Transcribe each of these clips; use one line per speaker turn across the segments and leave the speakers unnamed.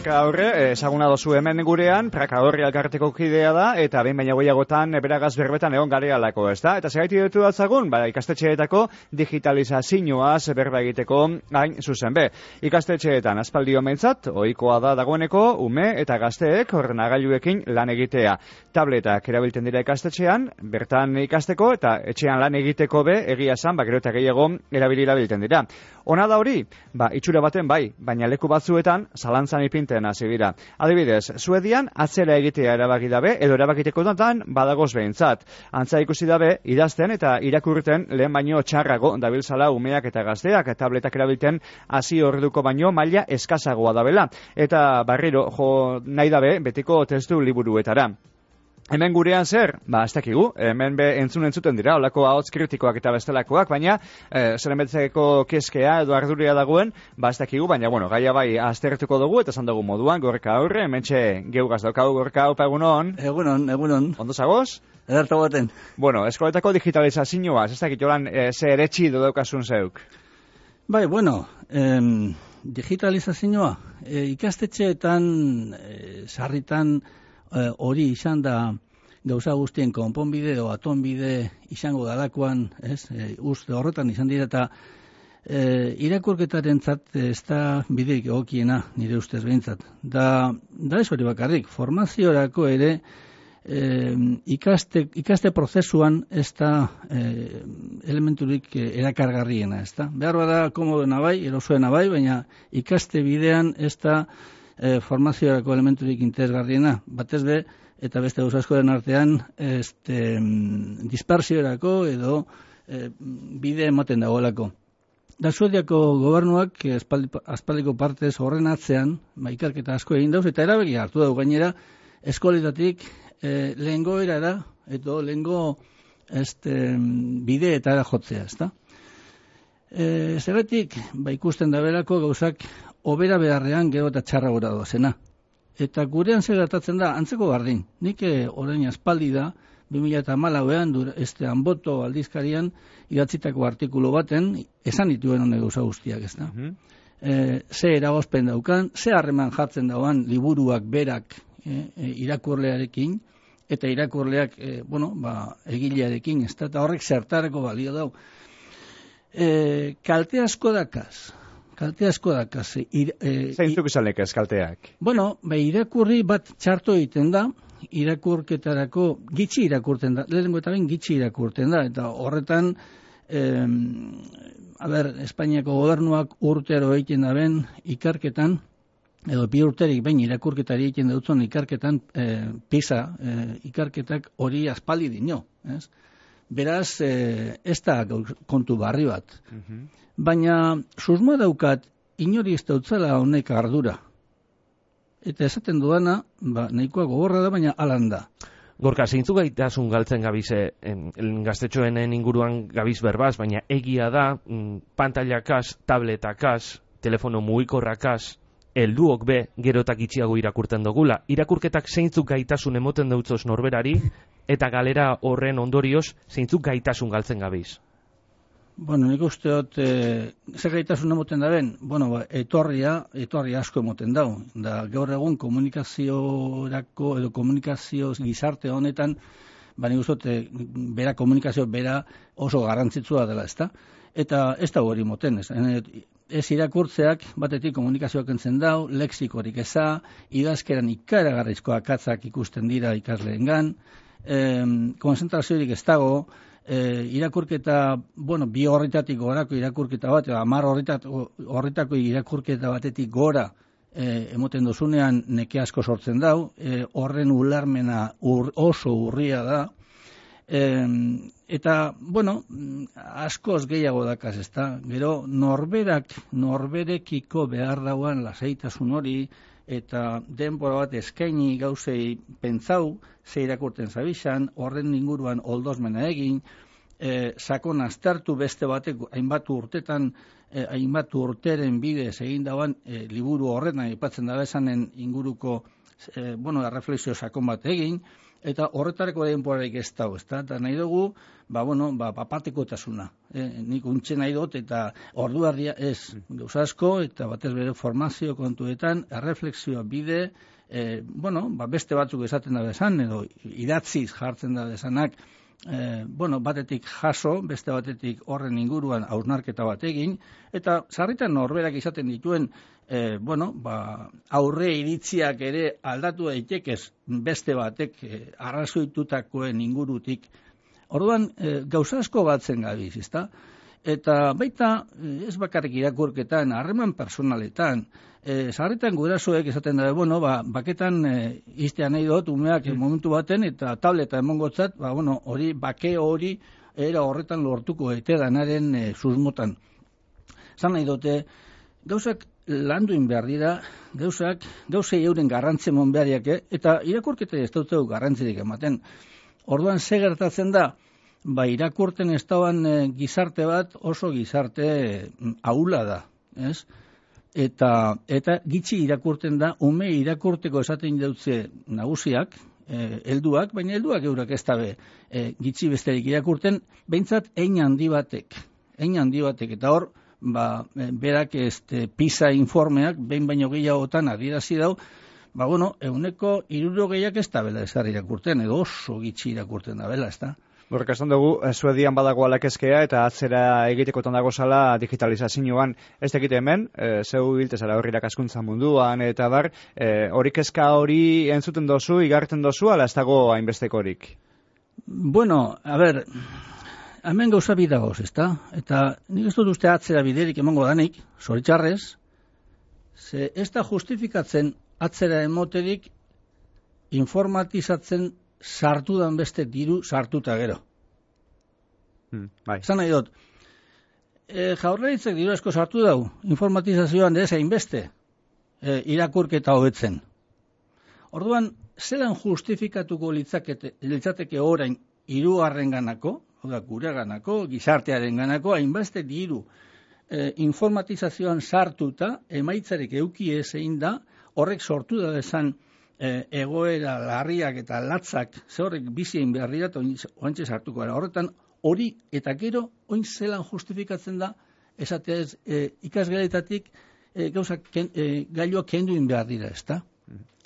Gorka Aurre, ezaguna dozu hemen gurean, Praka Horri elkarteko kidea da, eta behin baina goiagotan beragaz berbetan egon garealako, ez da? Eta segaiti dutu datzagun, ikastetxeetako digitalizazioaz berba egiteko hain zuzen be. Ikastetxeetan aspaldi omentzat, ohikoa da dagoeneko, ume eta gazteek ordenagailuekin lan egitea. Tabletak erabiltzen dira ikastetxean, bertan ikasteko eta etxean lan egiteko be, egia esan, gero eta gehiago erabiltzen dira. Ona da hori? Itxura baten bai, baina leku batzuetan zalantzan ipinten hasi dira. Adibidez, Suedian atzera egitea erabaki dabe, edo erabakiteko datan badagoz behintzat. Antza ikusi dabe, idazten eta irakurten lehen baino txarrago dabiltzala umeak eta gazteak, tabletak erabilten hasi orduko baino maila eskasagoa dabela. Eta barriro jo nahi dabe betiko testu liburuetara. Hemen gurean zer? Ez dakigu, hemen be entzuten dira, olako ahots kritikoak eta bestelakoak, baina zeren betzeko keskea edo arduria dagoen, ez dakigu, baina gaia bai aztertuko dugu, eta esan dugu moduan, Gorka Aurre, hementxe geugaz daukagu, Gorka, opa egunon?
Egunon.
Ondo zagoz?
Ederto baten.
Eskoletako digitalizazioa, ez dakit jolan ze eretxi daukasun zeuk?
Bai, digitalizazioa, ikastetxeetan, sarritan, hori izan da gauza guztien konponbide edo atonbide izango dalakoan, uste horretan izan dira eta irakurketaren zat ez da bideik egokiena nire ustez behintzat. Da ez hori bakarrik, formaziorako ere ikaste prozesuan ez da elementurik erakargarriena, ez da. Behar bada komodoena bai, erosoena bai, baina ikaste bidean ez da formaziorako elementurik interesgarriena, batez be, eta beste gauza askoren artean, dispersiorako edo bide ematen dagoelako. Da Suediako gobernuak aspaldiko partez horren atzean, ikerketa asko egin dauz, eta erabaki hartu dago gainera, eskoletatik lehengo erara, edo lehengo bideetara jotzea, ezta? Zergatik, ikusten da berako gauzak obera beharrean gero eta txarra gora doazena. Eta gurean zer gertatzen da, antzeko bardin. Nik orain aspaldi da, 2014an, Anboto aldizkarian, idatzitako artikulu baten, esan dituen honek gauza guztiak, ez da. Ze eragozpen daukan, ze harreman jartzen dauan liburuak berak irakurlearekin, eta irakurleak, egilearekin, ez da, eta horrek zertarako balio dau. Kalte asko dakaz.
Zeintzuk izan lekez kalteak?
Irakurri bat txarto egiten da, irakurketarako gitxi irakurten da, lehenengo eta behin gitxi irakurten da, eta horretan, Espainiako gobernuak urtero egiten da ben ikarketan, edo bi urterik behin irakurketari egiten dutzen ikarketan, PISA ikarketak hori aspaldi dino, ez? Beraz, ez da kontu barri bat. Baina, susmoa daukat, inori ez dautzela honek ardura. Eta esaten duana, nahikoa gogorra da, baina alan da.
Gorka, zeintzu gaitasun galtzen gabize, gaztetxoenen inguruan gabiz berbaz, baina egia da, pantailakaz, tabletakaz, telefono mugikorrakaz, helduok be, gerotak itxiago irakurten dugula. Irakurketak zeintzuk gaitasun emoten dautzoz norberari, eta galera horren ondorioz, zeintzuk gaitasun galtzen gabiz?
Nik uste dut, zer gaitasun emoten da ben? Etorri asko emoten dau. Da, gaur egun komunikaziorako edo komunikazio gizarte honetan, nik uste dut, bera komunikazio bera oso garrantzitsua dela, ezta? Eta ez da hori moten, ez irakurtzeak batetik komunikazioak entzen dau, lexikorik eza, idazkeran ikaragarrizko akatzak ikusten dira ikasleengan, konzentraziorik ez dago, irakurketa, bi horretatik gorako irakurketa bat, 10 horretako irakurketa batetik gora emoten dozunean neke asko sortzen dau, horren ulermena oso urria da, eta, askoz gehiago dakaz, ez da, gero norberekiko behar dauan lasaitasun hori, eta denbora bat eskaini gauzei pentsau, ze irakurten zabizan, horren inguruan oldozmena egin, sakon aztertu beste batek hainbat urteren bidez egin dauan liburu horretan aipatzen da esanen inguruko erreflexio sakon bat egin, eta horretareko denborarik ez dago, ezta? Eta nahi dugu, papatekotasuna. Nik untxe nahi dut, eta orduardia ez gauza asko, eta batez bere formazio kontuetan, erreflexioa bide, beste batzuk esaten da bezan, edo idatziz jartzen da bezanak, batetik jaso, beste batetik horren inguruan hausnarketa bat egin, eta sarritan norberak izaten dituen, aurre iritziak ere aldatu daitekez beste batek arrazoitutakoen ingurutik. Orduan, gauza asko batzen gabiz, ezta? Eta baita, ez bakarrik irakurketan, harreman personaletan, sarritan gurasoek esaten da, baketan iztean nahi dut, umeak momentu baten, eta tableta emongotzat, bake hori era horretan lortuko ete danaren susmotan. Zan nahi dute, gauzak landuin behar dira, gauzei euren garrantze mon behariak, eta irakurketa ez dut garrantzirik ematen. Orduan, ze gertatzen da, irakurten ez dauan gizarte bat oso gizarte ahula da, ez? Eta gitxi irakurten da, ume irakurteko esaten dautze nagusiak, helduak, baina helduak eurak ez dabe gitxi besterik irakurten, behintzat hein handi batek, eta hor, berak PISA informeak, behin baino gehiagotan adierazi dau, 60% ez da bela ezar irakurten, edo oso gitxi irakurten da bela, ez da?
Horrek esan dugu, Suedian badago alakezkea eta atzera egitekotan dago zala digitalizazioan ez tekite hemen, zeu biltezara horri irakaskuntza munduan, eta hori kezka hori entzuten dozu, igarten dozu, ala ez dago hainbestekorik?
Hemen gauza bidagoz, ezta? Eta nik ez dut uste atzera biderik emango danik, zoritxarrez, ze ez da justifikatzen atzera emoterik informatizatzen sartudan beste diru sartuta gero. Zan nahi dut, Jaurlaritzak diru asko sartu dau, informatizazioan ez hainbeste irakurketa hobetzen. Orduan, zelan justifikatuko litzateke orain hirugarren ganako, gureganako, gizartearen ganako, hainbeste diru informatizazioan sartuta, emaitzarik euki ezein da, horrek sortu da desan egoera larriak eta latzak, ze horrek bizien behar dira, eta oantxe sartuko gara. Horretan, hori eta gero, oin zelan justifikatzen da, esatea ez, ikasgeletatik gailuak kenduin behar dira, ez da?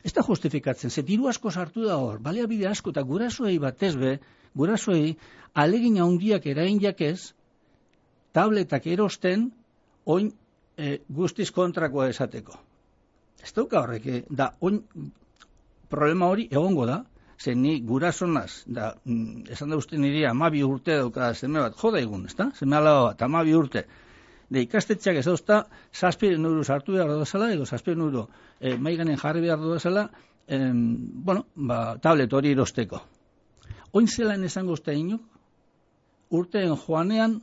Ez da justifikatzen, ze diru asko sartu da hor, baliabide asko, eta gurasoei batez be, gurasoei alegin handiak erain jakez, tabletak erosten, oin guztiz kontrakoa esateko. Ez dauka horrek, da, oin problema hori egongo da, ze ni gurasonaz, esan da uste niri 12 urte dauka zeme bat, joda egun, ez da? Zeme alaba bat, 12 urte. De ikastetxeak ez dauzta, 7 euro sartu behar duzala, edo 7 euro maiganen jarri behar duzala, tablet hori erosteko. Oin zelan esango uste inok, urteen joanean,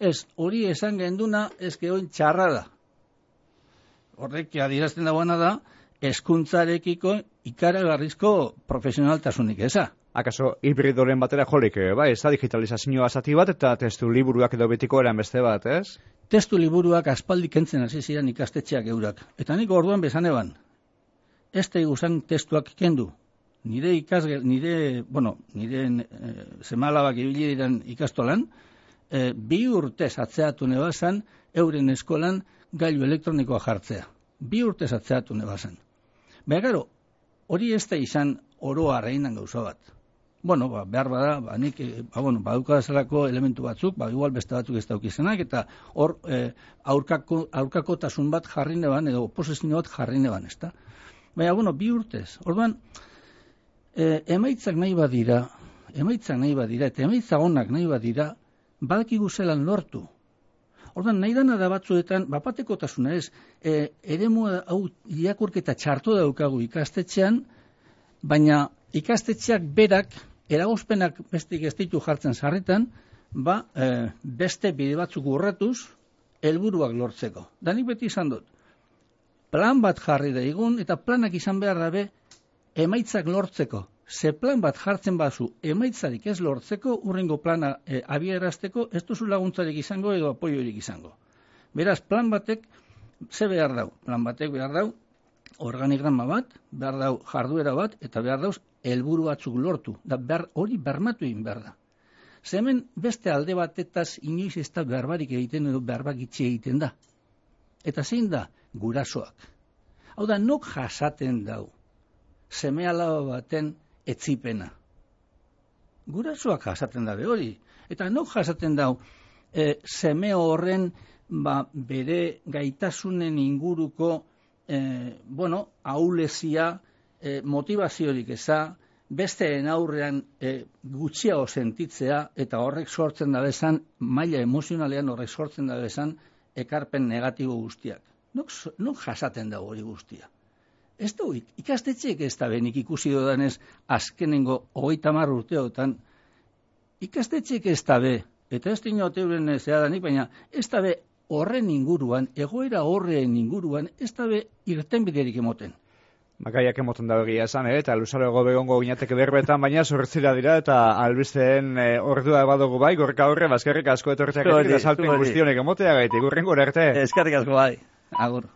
ez hori esan genduna, ez que oin txarra da. Horrek adierazten dagoena da, hezkuntzarekiko ikaragarrizko profesionaltasunik eza.
Akaso hibridoren batera jolik, ez da digitalizazioa zati bat eta testu liburuak edo betiko eran beste bat, ez?
Testu liburuak aspaldi kentzen hasi ziren ikastetxeak eurak. Eta nik orduan bezan eban, ez da iguzan testuak kendu. Nire semalabak ibili diren ikastolan, 2 urtez atzeatu nebazan, euren eskolan gailu elektronikoa jartzea. 2 urtez atzeatu nebazan. Baina gero, hori ez da izan oroa reinan gauza bat. Behar bada, nik, badukadazalako elementu batzuk, igual beste batzuk ez daukizenak, eta hor aurkakotasun bat jarri neban, edo oposizio bat jarri neban, ez da? Baina, 2 urtez. Orduan, emaitzak nahi badira, eta emaitza onak nahi badira, badakigu zelan lortu. Orduan, nahi dana da batzuetan, bapatekotasuna ez, eremu hau irakurketa txartu daukagu ikastetxean, baina ikastetxeak berak, eragozpenak bestik ez ditu jartzen sarritan, beste bide batzuk urratuz, helburuak lortzeko. Danik beti izan dut, plan bat jarri da egun, eta planak izan behar dabe, emaitzak lortzeko. Ze plan bat jartzen bazu emaitzarik ez lortzeko, urrengo plana abierazteko, ez duzu laguntzarik izango edo apoiorik izango. Beraz, plan batek ze behar dau? Plan batek behar dau, organigrama bat, behar dau jarduera bat, eta behar dauz helburu batzuk lortu. Da hori bermatu egin behar da. Hemen beste alde batetaz inoiz ez da berbarik egiten edo berbak itxi egiten da. Eta zein da? Gurasoak. Hau da, nok jasaten dau seme alaba baten etzipena. Gurasoak jasaten dabe hori. Eta nok jasaten dau seme horren bere gaitasunen inguruko ahulezia, motivaziorik eza, besteen aurrean gutxiago sentitzea, eta horrek sortzen da bezan, maila emozionalean horrek sortzen da bezan, ekarpen negatibo guztiak. Nok jasaten da hori guztia. Ez da, ikastetxeek ez da benik ikusi dodanez, azkenengo 30 urteotan, ikastetxeek ez da be, eta ez dinot euren zehadanik, baina ez da be horren inguruan, egoera horren inguruan, ez da be irtenbiderik emoten.
Makaiak emoten da egia esan, eta luzaroago begongo ginateke berbetan, baina zortzira dira, eta albisteen ordua badugu bai, gorka horre, bazkerrik asko etortzeak eta salpen guztionek emotea gaitik, urren gure arte.
Eskerrik asko bai, agur.